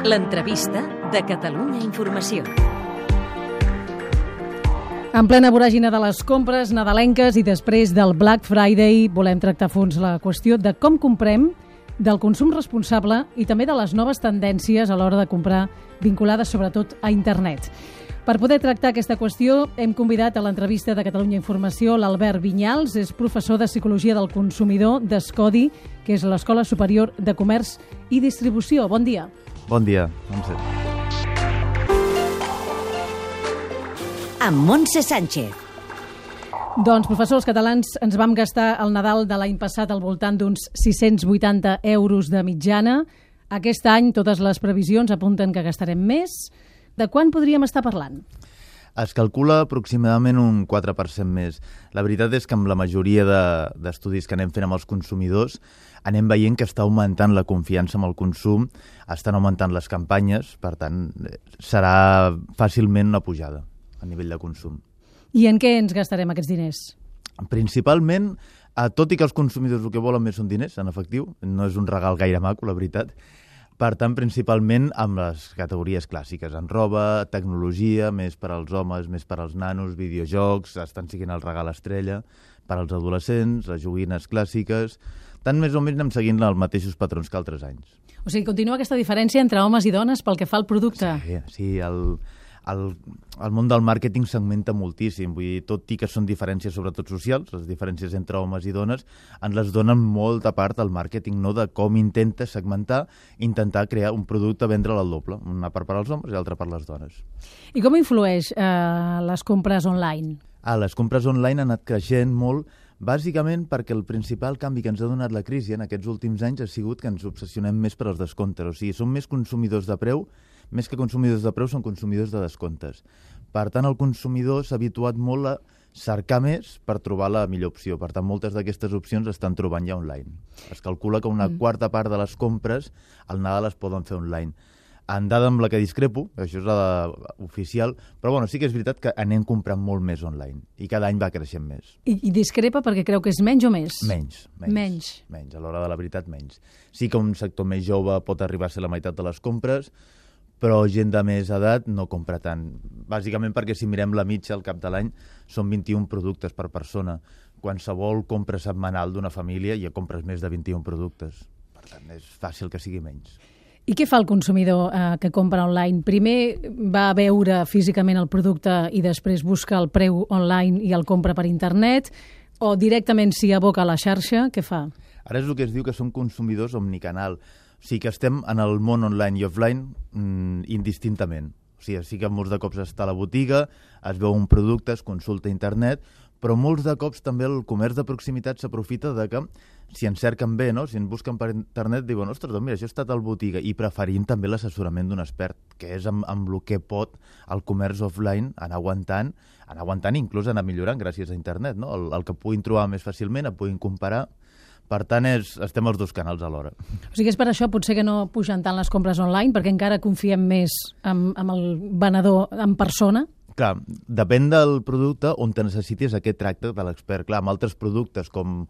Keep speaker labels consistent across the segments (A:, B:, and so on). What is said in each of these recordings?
A: L'entrevista de Catalunya Informació.
B: En plena voràgina de les compres nadalenques i després del Black Friday volem tractar a fons la qüestió de com comprem, del consum responsable i també de les noves tendències a l'hora de comprar vinculades sobretot a internet. Per poder tractar aquesta qüestió hem convidat a l'entrevista de Catalunya Informació l'Albert Vinyals, és professor de Psicologia del Consumidor d'Escodi, que és l'Escola Superior de Comerç i Distribució. Bon dia.
C: Bon dia, Montse.
A: Amb Montse Sánchez.
B: Doncs, professors catalans, ens vam gastar el Nadal de l'any passat al voltant d'uns 680 euros de mitjana. Aquest any totes les previsions apunten que gastarem més. De quan podríem estar parlant?
C: Es calcula aproximadament un 4% més. La veritat és que amb la majoria d'estudis que anem fent amb els consumidors anem veient que està augmentant la confiança amb el consum, estan augmentant les campanyes, per tant, serà fàcilment una pujada a nivell de consum.
B: I en què ens gastarem aquests diners?
C: Principalment, tot i que els consumidors el que volen més són diners, en efectiu, no és un regal gaire maco, la veritat. Per tant, principalment amb les categories clàssiques, en roba, tecnologia, més per als homes, més per als nanos, videojocs, estan siguent el regal estrella, per als adolescents, les joguines clàssiques, tant més o menys anem seguint els mateixos patrons que altres anys.
B: O sigui, continua aquesta diferència entre homes i dones pel que fa al producte?
C: Sí, el món del màrqueting segmenta moltíssim, vull dir, tot i que són diferències sobretot socials, les diferències entre homes i dones, ens les donen molta part al màrqueting, no?, de com intenta segmentar, intentar crear un producte, vendre'l al doble, una part per als homes i l'altra per les dones.
B: I com influeix les compres online?
C: Les compres online han anat creixent molt, bàsicament perquè el principal canvi que ens ha donat la crisi en aquests últims anys ha sigut que ens obsessionem més per als descomptes, o sigui, som més consumidors de preu, més que consumidors de preu, són consumidors de descomptes. Per tant, el consumidor s'ha habituat molt a cercar més per trobar la millor opció. Per tant, moltes d'aquestes opcions estan trobant ja online. Es calcula que una quarta part de les compres al Nadal es poden fer online. En dada amb la que discrepo, això és la oficial, però bueno, sí que és veritat que anem comprant molt més online i cada any va creixent més.
B: I discrepa perquè creu que és menys o més?
C: Menys. A l'hora de la veritat, menys. Sí que un sector més jove pot arribar a ser la meitat de les compres, però gent de més edat no compra tant. Bàsicament perquè si mirem la mitja al cap de l'any són 21 productes per persona. Qualsevol compra setmanal d'una família ja compres més de 21 productes. Per tant, és fàcil que sigui menys.
B: I què fa el consumidor que compra online? Primer va a veure físicament el producte i després busca el preu online i el compra per internet, o directament s'hi aboca a la xarxa? Què fa?
C: Ara és el que es diu que són consumidors omnicanal. O sigui que estem en el món online i offline indistintament. O sigui, sí que molts de cops està a la botiga, es veu un producte, es consulta a internet, però molts de cops també el comerç de proximitat s'aprofita de que si ens cerquen bé, no? Si ens busquen per internet, diuen, ostres, doncs mira, això ha estat a la botiga, i preferint també l'assessorament d'un expert, que és amb el que pot el comerç offline anar aguantant i inclús anar millorant gràcies a internet, no? El que puguin trobar més fàcilment, el puguin comparar. Per tant, estem als dos canals alhora.
B: O sigui, és per això potser que no pugen tant les compres online, perquè encara confiem més en el venedor en persona?
C: Clar, depèn del producte on te necessitis aquest tracte de l'expert. Clar, amb altres productes com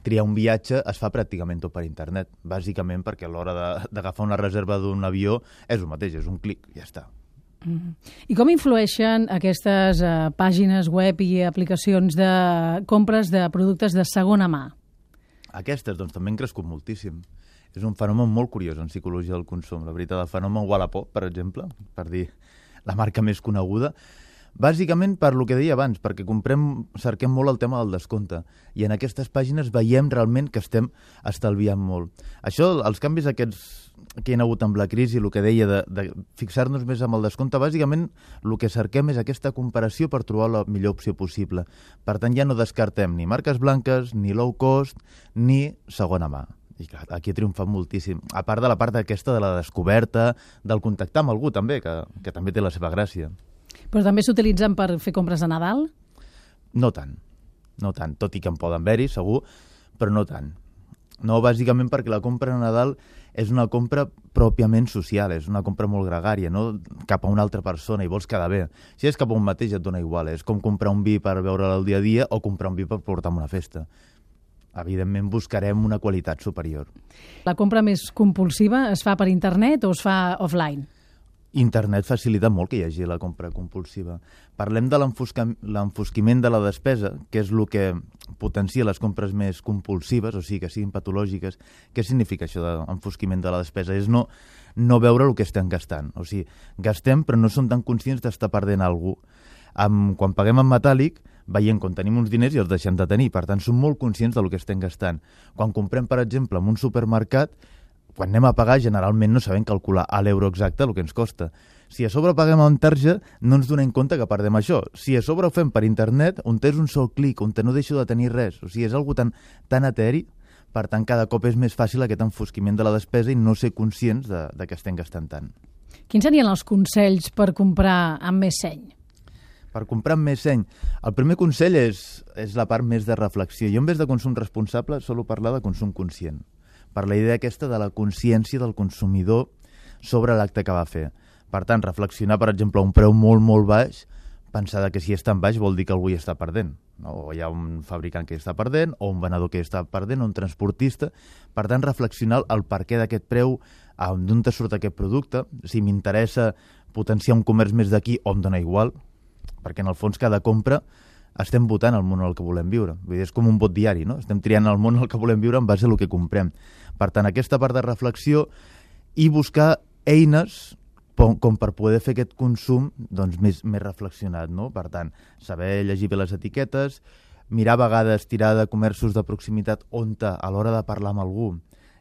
C: triar un viatge es fa pràcticament tot per internet, bàsicament perquè a l'hora d'agafar una reserva d'un avió és el mateix, és un clic, ja està.
B: I com influeixen aquestes pàgines web i aplicacions de compres de productes de segona mà?
C: Aquestes, doncs, també han crescut moltíssim. És un fenomen molt curiós en psicologia del consum. La veritat, el fenomen Wallapop, per exemple, per dir la marca més coneguda, bàsicament per lo que deia abans, perquè cerquem molt el tema del descompte, i en aquestes pàgines veiem realment que estem estalviant molt. Això, els canvis aquests que hi ha hagut amb la crisi, el que deia de fixar-nos més amb el descompte, bàsicament el que cerquem és aquesta comparació per trobar la millor opció possible. Per tant, ja no descartem ni marques blanques, ni low cost, ni segona mà. I clar, aquí ha triomfat moltíssim. A part de la part aquesta de la descoberta, del contactar amb algú també, que també té la seva gràcia.
B: Però també s'utilitzen per fer compres de Nadal?
C: No tant, tot i que en poden haver-hi, segur, però no tant. No, bàsicament perquè la compra de Nadal és una compra pròpiament social, és una compra molt gregària, no cap a una altra persona i vols quedar bé. Si és cap a un mateix et dona igual, és com comprar un vi per veure'l al dia a dia o comprar un vi per portar a una festa. evidentment buscarem una qualitat superior.
B: La compra més compulsiva es fa per internet o es fa offline?
C: Internet facilita molt que hi hagi la compra compulsiva. Parlem de l'enfosquiment de la despesa, que és el que potencia les compres més compulsives, o sigui, que siguin patològiques. Què significa això d'enfosquiment de la despesa? És no veure el que estem gastant. O sigui, gastem però no som tan conscients d'estar perdent alguna cosa. Quan paguem en metàl·lic, veiem quan tenim uns diners i els deixem de tenir. Per tant, som molt conscients del que estem gastant. Quan comprem, per exemple, en un supermercat, quan anem a pagar, generalment no sabem calcular a l'euro exacte el que ens costa. Si a sobre paguem amb tarja, no ens donem compte que perdem això. Si a sobre ho fem per internet, on és un sol clic, on no deixo de tenir res. O sigui, és algo tan eteri, per tant, cada cop és més fàcil aquest enfosquiment de la despesa i no ser conscients de que estem gastant tant.
B: Quins serien els consells per comprar amb més seny?
C: Per comprar amb més seny. El primer consell és la part més de reflexió. Jo, en vez de consum responsable, solo parlar de consum conscient, per la idea aquesta de la consciència del consumidor sobre l'acte que va fer. Per tant, reflexionar, per exemple, a un preu molt, molt baix, pensar que si és tan baix vol dir que algú hi està perdent. No? O hi ha un fabricant que hi està perdent, o un venedor que hi està perdent, o un transportista. Per tant, reflexionar el perquè d'aquest preu, d'on te surt aquest producte, si m'interessa potenciar un comerç més d'aquí o em dona igual, perquè en el fons cada compra estem votant el món en el que volem viure. Vull dir, és com un vot diari, no? Estem triant el món en el que volem viure en base a el que comprem. Per tant, aquesta part de reflexió i buscar eines com per poder fer aquest consum doncs, més reflexionat, no? Per tant, saber llegir bé les etiquetes, mirar a vegades, tirar de comerços de proximitat on a l'hora de parlar amb algú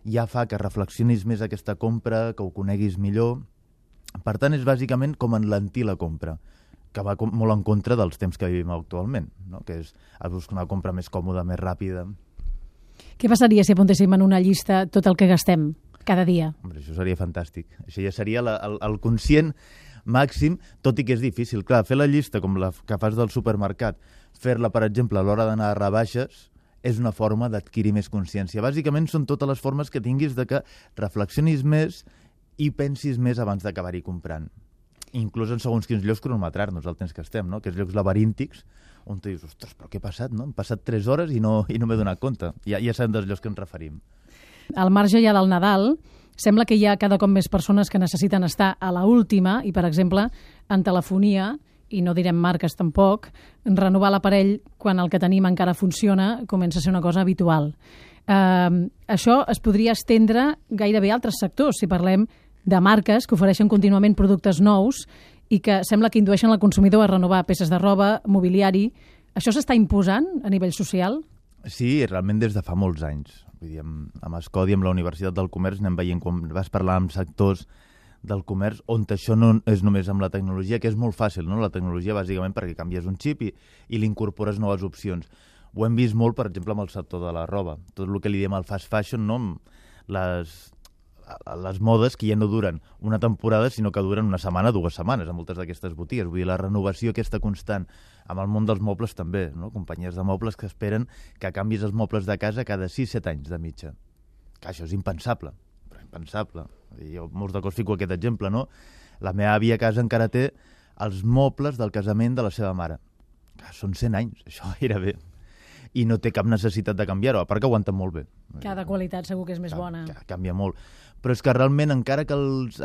C: ja fa que reflexionis més aquesta compra, que ho coneguis millor. Per tant, és bàsicament com enlentir la compra, que va molt en contra dels temps que vivim actualment, no? Que és buscar una compra més còmoda, més ràpida.
B: Què passaria si apuntéssim en una llista tot el que gastem cada dia?
C: Hombre, això seria fantàstic. Això ja seria el conscient màxim, tot i que és difícil. Clar, fer la llista com la que fas del supermercat, fer-la, per exemple, a l'hora d'anar a rebaixes, és una forma d'adquirir més consciència. Bàsicament són totes les formes que tinguis de que reflexionis més i pensis més abans d'acabar-hi comprant. Inclús en segons quins llocs cronometrar-nos el temps que estem, no? Aquests llocs laberíntics on tu dius, ostres, però què ha passat, no? Han passat 3 hores i no m'he donat compte. Ja sabem dels llocs que ens referim.
B: Al marge ja del Nadal, sembla que hi ha cada cop més persones que necessiten estar a la última i, per exemple, en telefonia, i no direm marques tampoc, renovar l'aparell quan el que tenim encara funciona comença a ser una cosa habitual. Això es podria estendre gairebé a altres sectors, si parlem de marques que ofereixen contínuament productes nous i que sembla que indueixen el consumidor a renovar peces de roba, mobiliari. Això s'està imposant a nivell social?
C: Sí, realment des de fa molts anys. Vull dir, amb Escodi, amb la Universitat del Comerç, anem veient com vas parlar amb sectors del comerç on això no és només amb la tecnologia, que és molt fàcil, no? La tecnologia bàsicament perquè canvies un xip i li incorpores noves opcions. Ho hem vist molt, per exemple, amb el sector de la roba. Tot el que li diem al fast fashion, no? Les modes que ja no duren una temporada, sinó que duren una setmana, 2 setmanes, a moltes d'aquestes botigues. Vull dir, la renovació aquesta constant amb el món dels mobles també, no? Companyies de mobles que esperen que canvis els mobles de casa cada 6-7 anys de mitja. Que això és impensable, però impensable. Jo molts de cops fico aquest exemple, no? La meva àvia a casa encara té els mobles del casament de la seva mare. Que són 100 anys, això gairebé. I no té cap necessitat de canviar-ho, a part que aguanten molt bé.
B: Cada qualitat segur que és més bona.
C: Canvia molt. Però és que realment, encara que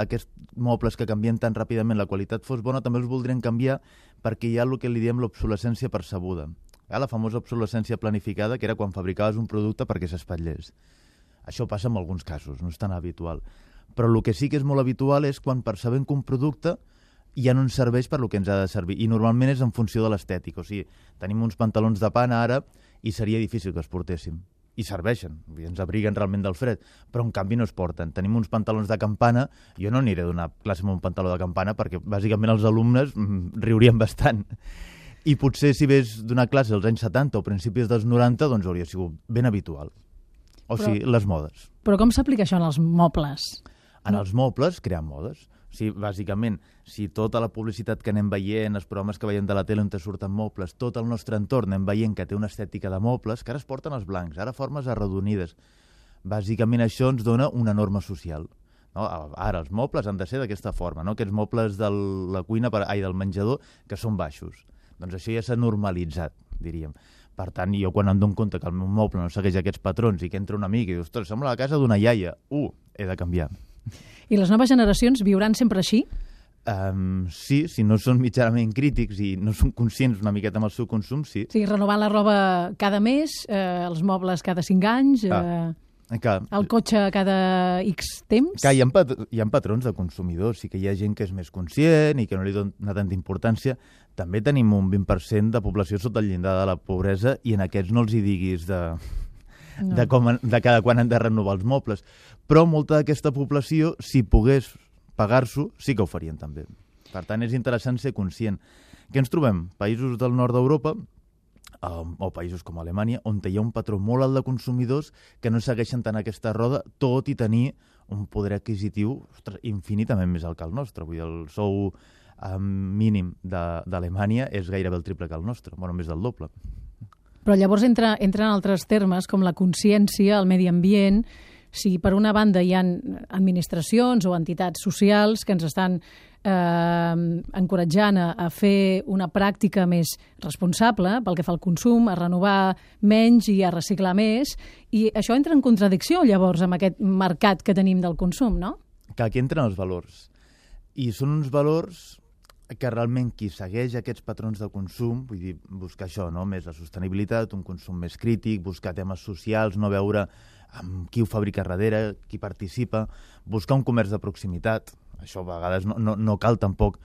C: aquests mobles que canvien tan ràpidament la qualitat fos bona, també els voldrien canviar perquè hi ha el que li diem l'obsolescència percebuda. La famosa obsolescència planificada, que era quan fabricaves un producte perquè s'espatllés. Això passa en alguns casos, no és tan habitual. Però el que sí que és molt habitual és quan percebem que un producte ja no ens serveix per lo que ens ha de servir. I normalment és en funció de l'estètica. O sigui, tenim uns pantalons de pana ara i seria difícil que els portéssim. I serveixen, ens abriguen realment del fred, però en canvi no es porten. Tenim uns pantalons de campana, jo no aniré a donar classe amb un pantaló de campana perquè bàsicament els alumnes riurien bastant. I potser si ves donar classe als anys 70 o principis dels 90, doncs hauria sigut ben habitual. O sigui, les modes.
B: Però com s'aplica això en els mobles?
C: En els mobles, creant modes. O sigui, bàsicament, si tota la publicitat que anem veient, els programes que veiem de la tele on te surten mobles, tot el nostre entorn anem veient que té una estètica de mobles, que ara es porten els blancs, ara formes arrodonides. Bàsicament això ens dona una norma social. No? Ara els mobles han de ser d'aquesta forma, no? Aquests mobles de la cuina, del menjador, que són baixos. Doncs això ja s'ha normalitzat, diríem. Per tant, jo quan em dono compte que el meu moble no segueix aquests patrons i que entra un amic i dius, ostres, sembla la casa d'una iaia, he de canviar.
B: I les noves generacions viuran sempre així?
C: Sí, si no són mitjanament crítics i no són conscients una miqueta amb el seu consum, sí.
B: O sigui, renovant la roba cada mes, els mobles cada 5 anys, el cotxe cada X temps...
C: Hi ha patrons de consumidors, sí que hi ha gent que és més conscient i que no li dona tanta importància. També tenim un 20% de població sota el llindar de la pobresa i en aquests no els hi diguis de cada quan han de renovar els mobles. Però molta d'aquesta població, si pogués pagar-s'ho, sí que ho farien també. Per tant, és interessant ser conscient. Què ens trobem? Països del nord d'Europa o països com Alemanya, on hi ha un patró molt alt de consumidors que no segueixen tant aquesta roda, tot i tenir un poder adquisitiu infinitament més alt que el nostre. Vull dir, el sou mínim d'Alemanya és gairebé el triple que el nostre, bueno, més del doble.
B: Però llavors entren altres termes com la consciència, el medi ambient. Si per una banda hi ha administracions o entitats socials que ens estan encoratjant a fer una pràctica més responsable pel que fa al consum, a renovar menys i a reciclar més, i això entra en contradicció llavors amb aquest mercat que tenim del consum, no?
C: Que aquí entren els valors. I són uns valors que realment qui segueix aquests patrons de consum, vull dir, buscar això, no? Més la sostenibilitat, un consum més crític, buscar temes socials, no veure amb qui ho fabrica darrere, qui participa, buscar un comerç de proximitat. Això a vegades no cal tampoc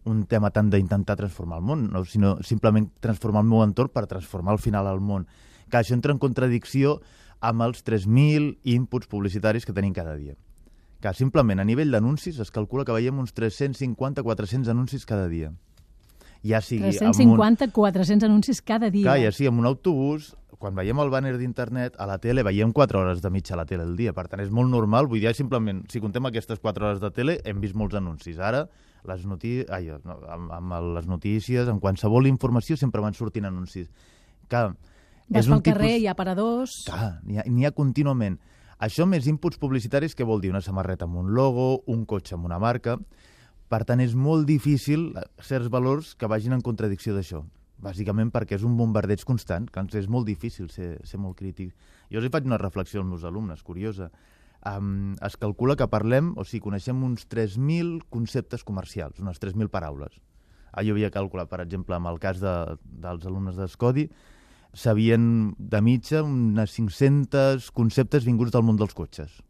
C: un tema tant d'intentar transformar el món, no? Sinó simplement transformar el meu entorn per transformar al final el món. Que això entra en contradicció amb els 3.000 inputs publicitaris que tenim cada dia. Que simplement a nivell d'anuncis es calcula que veiem uns 350-400 anuncis cada dia. Ja sigui
B: 350-400 anuncis cada dia.
C: Clar, ja sigui en un autobús, quan veiem el bàner d'internet, a la tele veiem 4 hores de mitja a la tele al dia. Per tant, és molt normal. Vull dir, simplement, si contem aquestes 4 hores de tele, hem vist molts anuncis. Ara, amb les notícies, en qualsevol informació, sempre van sortint anuncis. Clar,
B: vas pel carrer, hi ha aparadors...
C: Clar, n'hi ha contínuament. Això més inputs publicitaris, què vol dir? Una samarreta amb un logo, un cotxe amb una marca... Per tant, és molt difícil certs valors que vagin en contradicció d'això. Bàsicament perquè és un bombardeig constant, que és molt difícil ser molt crític. Jo els faig una reflexió als meus alumnes, curiosa. Es calcula que coneixem uns 3.000 conceptes comercials, unes 3.000 paraules. Jo havia calculat, per exemple, amb el cas dels alumnes d'Escodi, sabien de mitja unes 500 conceptes vinguts del món dels cotxes.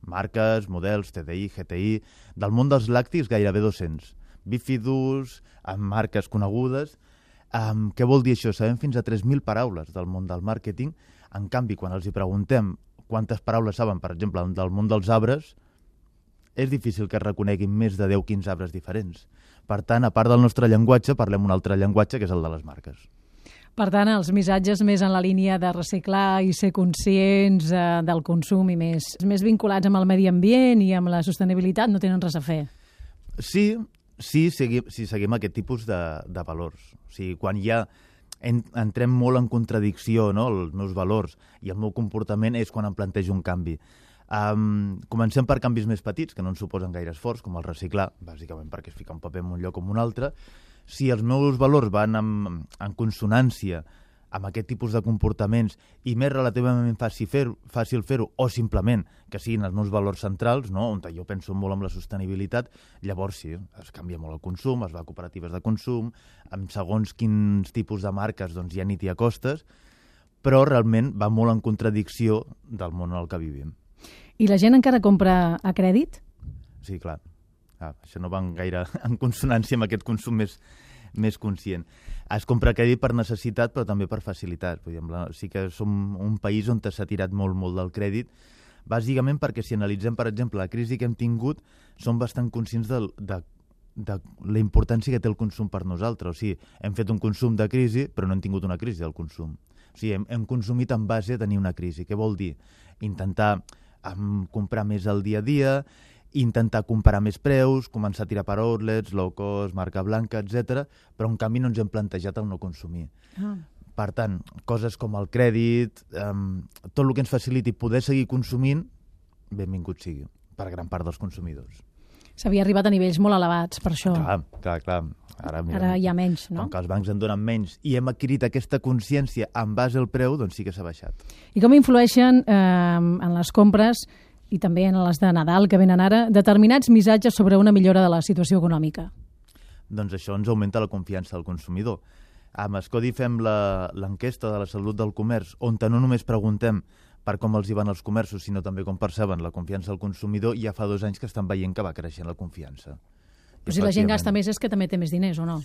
C: Marques, models, TDI, GTI... Del món dels làctics, gairebé 200. Bífidus, amb marques conegudes... Què vol dir això? Sabem fins a 3.000 paraules del món del màrqueting. En canvi, quan els hi preguntem quantes paraules saben, per exemple, del món dels arbres, és difícil que es reconeguin més de 10-15 arbres diferents. Per tant, a part del nostre llenguatge, parlem un altre llenguatge, que és el de les marques.
B: Per tant, els missatges més en la línia de reciclar i ser conscients del consum i més vinculats amb el medi ambient i amb la sostenibilitat no tenen res a fer.
C: Sí, si seguim aquest tipus de valors. O sigui, quan ja entrem molt en contradicció, no?, els meus valors i el meu comportament és quan em plantejo un canvi. Comencem per canvis més petits, que no ens suposen gaire esforç, com el reciclar, bàsicament perquè es fica un paper en un lloc o en un altre. Si els meus valors van en consonància amb aquest tipus de comportaments i més relativament fàcil fer-ho, o simplement que siguin els meus valors centrals, no?, on jo penso molt en la sostenibilitat, llavors sí, es canvia molt el consum, es va a cooperatives de consum, amb segons quins tipus de marques doncs ja ni t'hi acostes, però realment va molt en contradicció del món en el que vivim.
B: I la gent encara compra a crèdit?
C: Sí, clar. Això no va gaire en consonància amb aquest consum més conscient. Es compra crèdit per necessitat, però també per facilitat. Sí que som un país on s'ha tirat molt del crèdit, bàsicament perquè si analitzem, per exemple, la crisi que hem tingut, som bastant conscients de la importància que té el consum per nosaltres. O sigui, hem fet un consum de crisi, però no hem tingut una crisi del consum. O sigui, hem consumit en base a tenir una crisi. Què vol dir? Intentar comprar més al dia a dia, intentar comparar més preus, començar a tirar per outlets, low cost, marca blanca, etc. Però en canvi no ens hem plantejat el no consumir. Per tant, coses com el crèdit, tot el que ens faciliti poder seguir consumint, benvingut sigui per gran part dels consumidors.
B: S'havia arribat a nivells molt elevats, per això.
C: Clar.
B: Ara hi ha menys, no?
C: Com que els bancs en donen menys i hem adquirit aquesta consciència en base al preu, doncs sí que s'ha baixat.
B: I com influeixen en les compres i també en les de Nadal, que venen ara, determinats missatges sobre una millora de la situació econòmica?
C: Doncs això ens augmenta la confiança del consumidor. Amb Escodi fem l'enquesta de la salut del comerç, on no només preguntem per com els hi van els comerços, sinó també com perceben la confiança del consumidor, i ja fa 2 anys que estan veient que va creixent la confiança.
B: Però si la gent gasta més és que també té més diners, o no?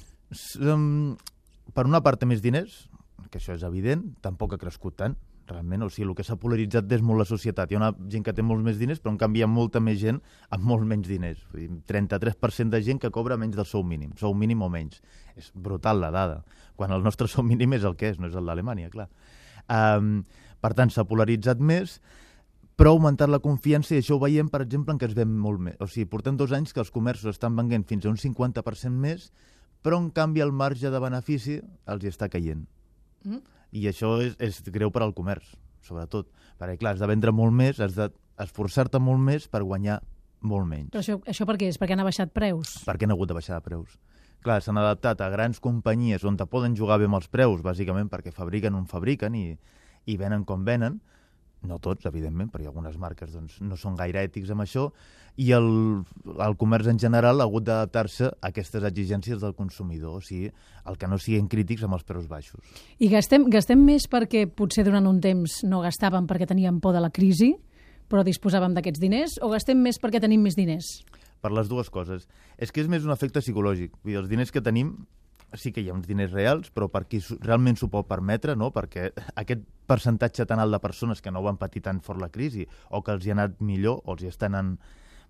C: Per una part té més diners, que això és evident, tampoc ha crescut tant, realment. O sigui, el que s'ha polaritzat és molt la societat. Hi ha una gent que té molts més diners, però en canvi hi ha molta més gent amb molts menys diners. 33% de gent que cobra menys del sou mínim o menys. És brutal la dada, quan el nostre sou mínim és el que és, no és el d'Alemanya, clar. Per tant, s'ha polaritzat més, però ha augmentat la confiança, i això ho veiem, per exemple, en què es ven molt més. O sigui, portem 2 anys que els comerços estan venent fins a un 50% més, però en canvi el marge de benefici els hi està caient. I això és greu per al comerç, sobretot. Perquè, clar, has de vendre molt més, has d'esforçar-te molt més per guanyar molt menys.
B: Però això per què és? Perquè han baixat preus?
C: Perquè han hagut de baixar de preus. Clar, s'han adaptat a grans companyies on te poden jugar bé amb els preus, bàsicament perquè fabriquen on fabriquen i venen com venen. No tots, evidentment, perquè algunes marques no són gaire ètics amb això, i el comerç en general ha hagut d'adaptar-se a aquestes exigències del consumidor, o sigui, el que no siguin crítics amb els preus baixos.
B: I gastem més perquè potser durant un temps no gastàvem perquè teníem por de la crisi, però disposàvem d'aquests diners, o gastem més perquè tenim més diners?
C: Per les dues coses. És que és més un efecte psicològic. Vull dir, els diners que tenim, sí que hi ha uns diners reals, però per qui realment s'ho pot permetre, no? Perquè aquest percentatge tan alt de persones que no ho han patit tan fort la crisi, o que els hi ha anat millor, o els hi està anant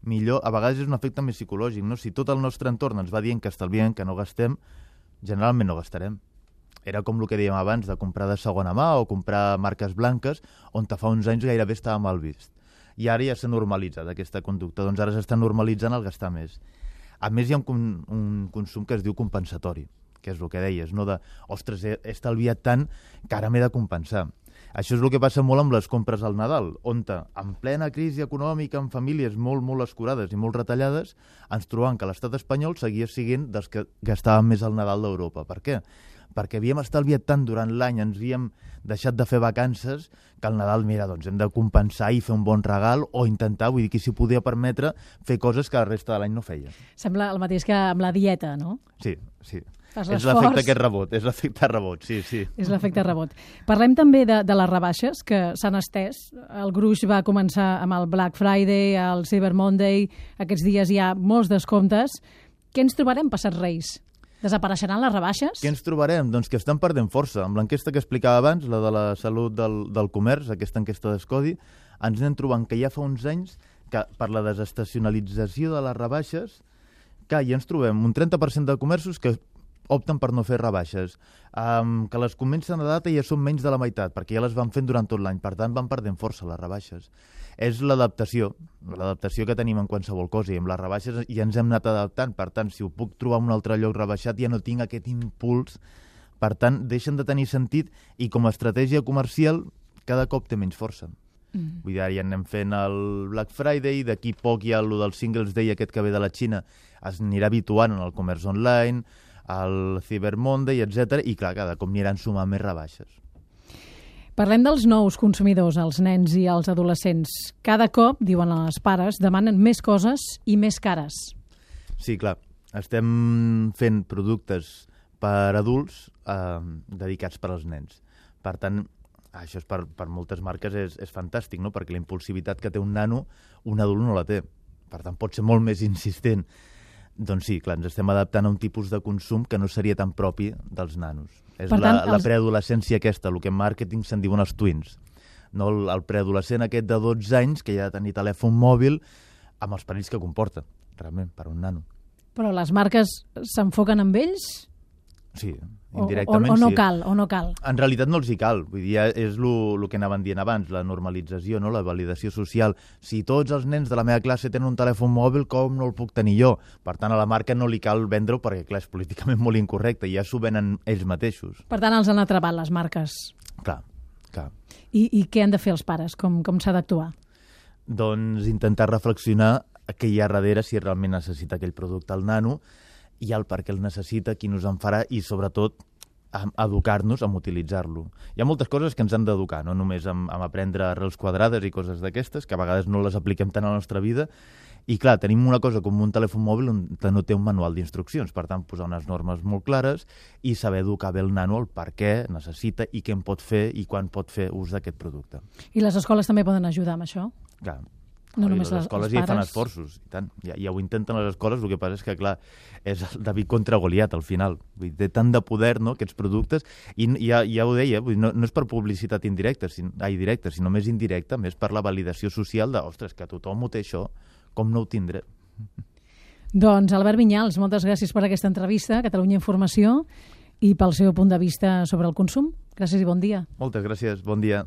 C: millor, a vegades és un efecte més psicològic, no? Si tot el nostre entorn ens va dient que estalviem, que no gastem, generalment no gastarem. Era com el que dèiem abans, de comprar de segona mà o comprar marques blanques, on fa uns anys gairebé estava mal vist. I ara ja s'ha normalitzat aquesta conducta, doncs ara s'està normalitzant el gastar més. A més, hi ha un consum que es diu compensatori, que és el que deies, no de, ostres, he estalviat tant que ara m'he de compensar. Això és el que passa molt amb les compres al Nadal, on en plena crisi econòmica, amb famílies molt, molt escurades i molt retallades, ens trobam que l'estat espanyol seguia sent dels que gastaven més al Nadal d'Europa. Per què? Perquè havíem estalviat tant durant l'any, ens havíem deixat de fer vacances, que al Nadal, mira, doncs hem de compensar i fer un bon regal, o intentar, vull dir, qui s'hi podia permetre fer coses que la resta de l'any no feia.
B: Sembla el mateix que amb la dieta, no?
C: Sí. És l'efecte aquest rebot, és l'efecte rebot, sí.
B: És l'efecte rebot. Parlem també de les rebaixes, que s'han estès. El gruix va començar amb el Black Friday, el Cyber Monday, aquests dies hi ha molts descomptes. Què ens trobarem passat Reis? Desapareixeran les rebaixes?
C: Què ens trobarem? Doncs que estan perdent força. Amb l'enquesta que explicava abans, la de la salut del comerç, aquesta enquesta d'Escodi, ens anem trobant que ja fa uns anys que per la desestacionalització de les rebaixes, que ja ens trobem un 30% de comerços que opten per no fer rebaixes, que les comencen a data i ja són menys de la meitat, perquè ja les van fent durant tot l'any, per tant van perdent força les rebaixes. És l'adaptació que tenim en qualsevol cosa, i amb les rebaixes ja ens hem anat adaptant, per tant, si ho puc trobar en un altre lloc rebaixat ja no tinc aquest impuls, per tant, deixen de tenir sentit, i com a estratègia comercial cada cop té menys força. Vull dir, ja anem fent el Black Friday, d'aquí poc hi ha el del Singles Day aquest que ve de la Xina, es anirà habituant en el comerç online, el Cyber Monday, etc. I clar, cada cop aniran sumant més rebaixes.
B: Parlem dels nous consumidors, els nens i els adolescents. Cada cop, diuen els pares, demanen més coses i més cares.
C: Sí, clar. Estem fent productes per adults dedicats per als nens. Per tant, això és per moltes marques és fantàstic, no? Perquè la impulsivitat que té un nano, un adult no la té. Per tant, pot ser molt més insistent. Doncs sí, clar, ens estem adaptant a un tipus de consum que no seria tan propi dels nanos. És la preadolescència aquesta, el que en màrqueting se'n diuen els twins. No, el preadolescent aquest de 12 anys que ja ha de tenir telèfon mòbil amb els perills que comporta, realment, per un nano.
B: Però les marques s'enfoquen amb ells?
C: Sí, indirectament
B: o no
C: sí.
B: O no cal?
C: En realitat no els hi cal. Vull dir, és el que anaven dient abans, la normalització, no? La validació social. Si tots els nens de la meva classe tenen un telèfon mòbil, com no el puc tenir jo? Per tant, a la marca no li cal vendre-ho perquè, clar, és políticament molt incorrecte i ja s'ho venen ells mateixos.
B: Per tant, els han atrapat les marques.
C: Clar.
B: I què han de fer els pares? Com s'ha d'actuar?
C: Doncs intentar reflexionar què hi ha darrere, si realment necessita aquell producte el nano, i el per què el necessita, quin us en farà, i sobretot educar-nos en utilitzar-lo. Hi ha moltes coses que ens han d'educar, no només amb aprendre arrels quadrades i coses d'aquestes, que a vegades no les apliquem tant a la nostra vida, i clar, tenim una cosa com un telèfon mòbil on no té un manual d'instruccions, per tant, posar unes normes molt clares i saber educar bé el nano el per què necessita i què en pot fer i quan pot fer ús d'aquest producte.
B: I les escoles també poden ajudar amb això?
C: Clar.
B: No només
C: les escoles ja fan esforços, i tant. Ja ho intenten les escoles, el que passa és que, clar, és el David contra Goliat, al final. Vull dir, té tant de poder, no?, aquests productes, i ja ho deia, vull dir, no és per publicitat directa, sinó més indirecta, més per la validació social de, ostres, que tothom ho té això, com no ho tindré?
B: Doncs, Albert Vinyals, moltes gràcies per aquesta entrevista a Catalunya Informació i pel seu punt de vista sobre el consum. Gràcies i bon dia.
C: Moltes gràcies, bon dia.